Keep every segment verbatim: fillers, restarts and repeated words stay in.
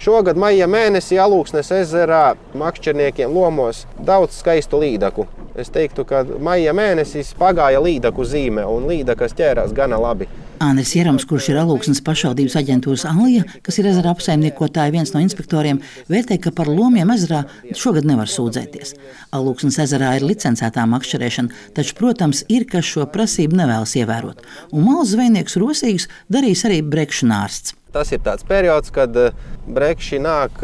Šogad maija mēnesī Alūksnes ezerā makšķerniekiem lomos daudz skaistu līdaku. Es teiktu, ka maija mēnesis pagāja līdaku zīme, un līdakas ķērās gana labi. Andris Jerums, kurš ir Alūksnes pašvaldības aģentūras Alija, kas ir ezera apsaimniekotāja viens no inspektoriem, vērtē, ka par lomiem ezerā šogad nevar sūdzēties. Alūksnes ezerā ir licencētā makšķerēšana, taču, protams, ir, kas šo prasību nevēlas ievērot. Un malas zvejnieks rosīgus darīs arī brekšņārsts. Tas ir tāds periods, kad brekši nāk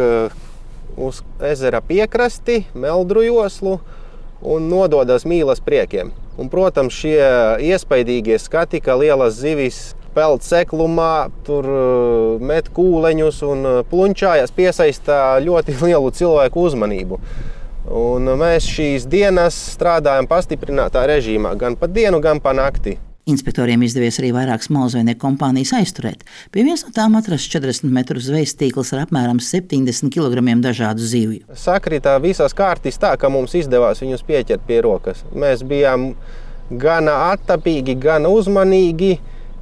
uz ezera piekrasti, meldru joslu un nododas mīlas priekiem. Un, protams, šie iespaidīgie skati, ka lielas zivis peld seklumā, tur met kūleņus un plunčājas, piesaista ļoti lielu cilvēku uzmanību. Un mēs šīs dienas strādājam pastiprinātā režīmā, gan pa dienu, gan pa nakti. Inspektoriem izdevies arī vairākas malzvejnieku kompānijas aizturēt. Pie vienas no tām atrasts četrdesmit metru zvejas tīkls ar apmēram septiņdesmit kilogramiem dažādu zivju. Sakritā visas kārtis tā, ka mums izdevās viņus pieķert pie rokas. Mēs bijām gana attapīgi, gana uzmanīgi,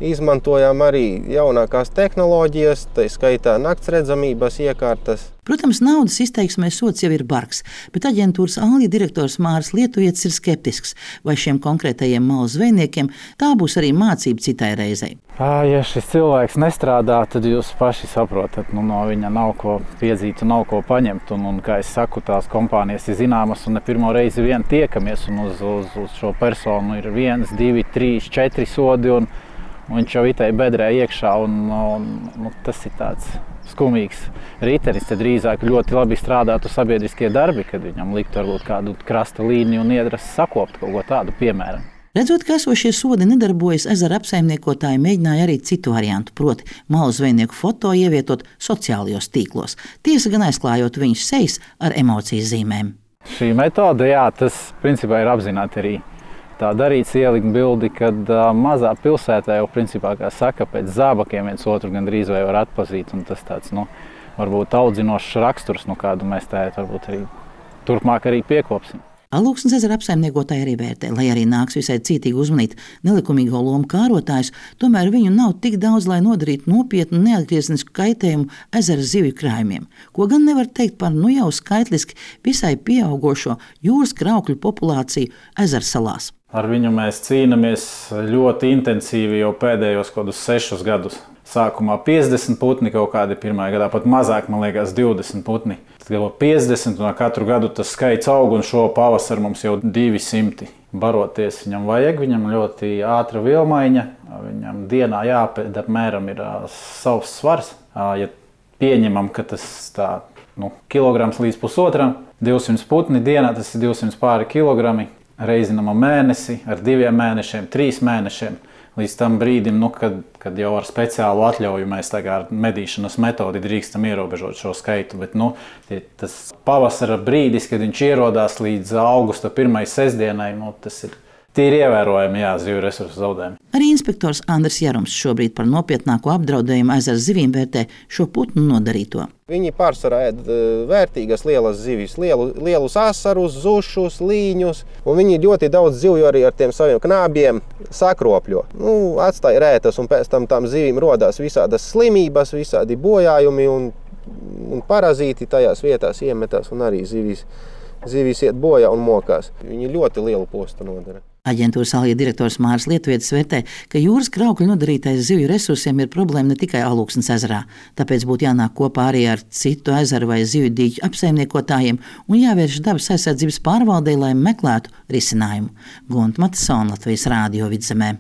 izmantojām arī jaunākās tehnoloģijas, tā skaitā naktsredzamības iekārtas. Protams, naudas izteiksmē sots jau ir bargs, bet aģentūras Alija direktors Māris Lietuvietis ir skeptisks, vai šiem konkrētajiem malas zvejniekiem tā būs arī mācība citai reizei. Ja šis cilvēks nestrādā, tad jūs paši saprotat, nu, no viņa nav ko piedzīt un nav ko paņemt. Un, un, kā es saku, tās kompānijas ir zināmas un ne pirmo reizi vien tiekamies. Un uz, uz, uz šo personu ir viens, divi, trīs, četri sodi un, un viņš jau itai bedrē iekšā. Un, un, nu, tas ir tāds skumīgs ritenis, tad drīzāk ļoti labi strādātu sabiedriskie darbi, kad viņam liktu varbūt kādu krasta līniju un iedras sakopt kaut ko tādu piemēram. Redzot, ka esošie sodi nedarbojas, ezera apsaimniekotāji mēģināja arī citu variantu, proti malu zvejnieku foto ievietot sociālajos tīklos, tiesa gan aizklājot viņus sejas ar emocijas zīmēm. Šī metode, jā, tas principā ir apzināti arī tā darīts, ielikt bildi, kad uh, mazā pilsētā jau principā, kā saka, pēc zābakiem viens otru gandrīz vai var atpazīt, un tas tāds, nu, varbūt audzinošs raksturs, nu, kādu mēs tā varbūt arī turpmāk arī piekopsim. Alūksnes ezera apsaimniekotāji arī vērtē, lai arī nāks visai cītīgi uzmanīt nelikumīgo lomu kārotājus, tomēr viņu nav tik daudz, lai nodarītu nopietnu neatgriezenisku kaitējumu ezera zivju krājumiem, ko gan nevar teikt par nu jau skaitliski visai pieaugošo jūras kraukļu populāciju ezersalās. Ar viņu mēs cīnāmies ļoti intensīvi jau pēdējos kodus sešus gadus. Sākumā piecdesmit putni, kaut kādi pirmajā gadā pat mazāk, man liekas, divdesmit putni. Tad jau piecdesmit, un katru gadu tas skaits aug, un šo pavasaru mums jau divi simti. Baroties viņam vajag, viņam ļoti ātra vilmaiņa, viņam dienā jāpēd apmēram ir uh, savs svars. Uh, ja pieņemam, ka tas tā, nu, kilograms līdz pusotram, divsimt putni dienā, tas ir divsimt pāri kilogrami. Reizinam mēnesi, ar diviem mēnešiem, trīs mēnešiem, līdz tam brīdim, nu, kad, kad jau ar speciālu atļauju mēs ar medīšanas metodi drīkstam ierobežot šo skaitu. Bet nu, tas pavasara brīdis, kad viņš ierodās līdz augusta pirmajai sestdienai, nu, tas ir tīri ievērojami, jā, zivju resursu zaudējumi. Arī inspektors Andris Jerums šobrīd par nopietnāko apdraudējumu ezera zivīm vērtē šo putnu nodarīto. Viņi pārsvarā ēd vērtīgas lielas zivis, lielu, lielus asarus, zušus, līņus, un viņi ļoti daudz zivju arī ar tiem saviem knābiem sakropļo. Nu, atstāja rētas, un pēc tam tām zivīm rodās visādas slimības, visādi bojājumi un, un parazīti tajās vietās iemetās, un arī zivis, zivis iet bojā un mokās. Viņi ļoti lielu postu nodara. Aģentūras Alija direktors Māris Lietuvietis vērtē, ka jūras kraukļu nodarītais zivju resursiem ir problēma ne tikai Alūksnes ezerā, tāpēc būtu jānāk kopā arī ar citu ezeru vai zivju dīķu apsaimniekotājiem un jāvērš dabas aizsardzības pārvaldei, lai meklētu risinājumu. Gunta Matisona, Latvijas Rādio Vidzemē.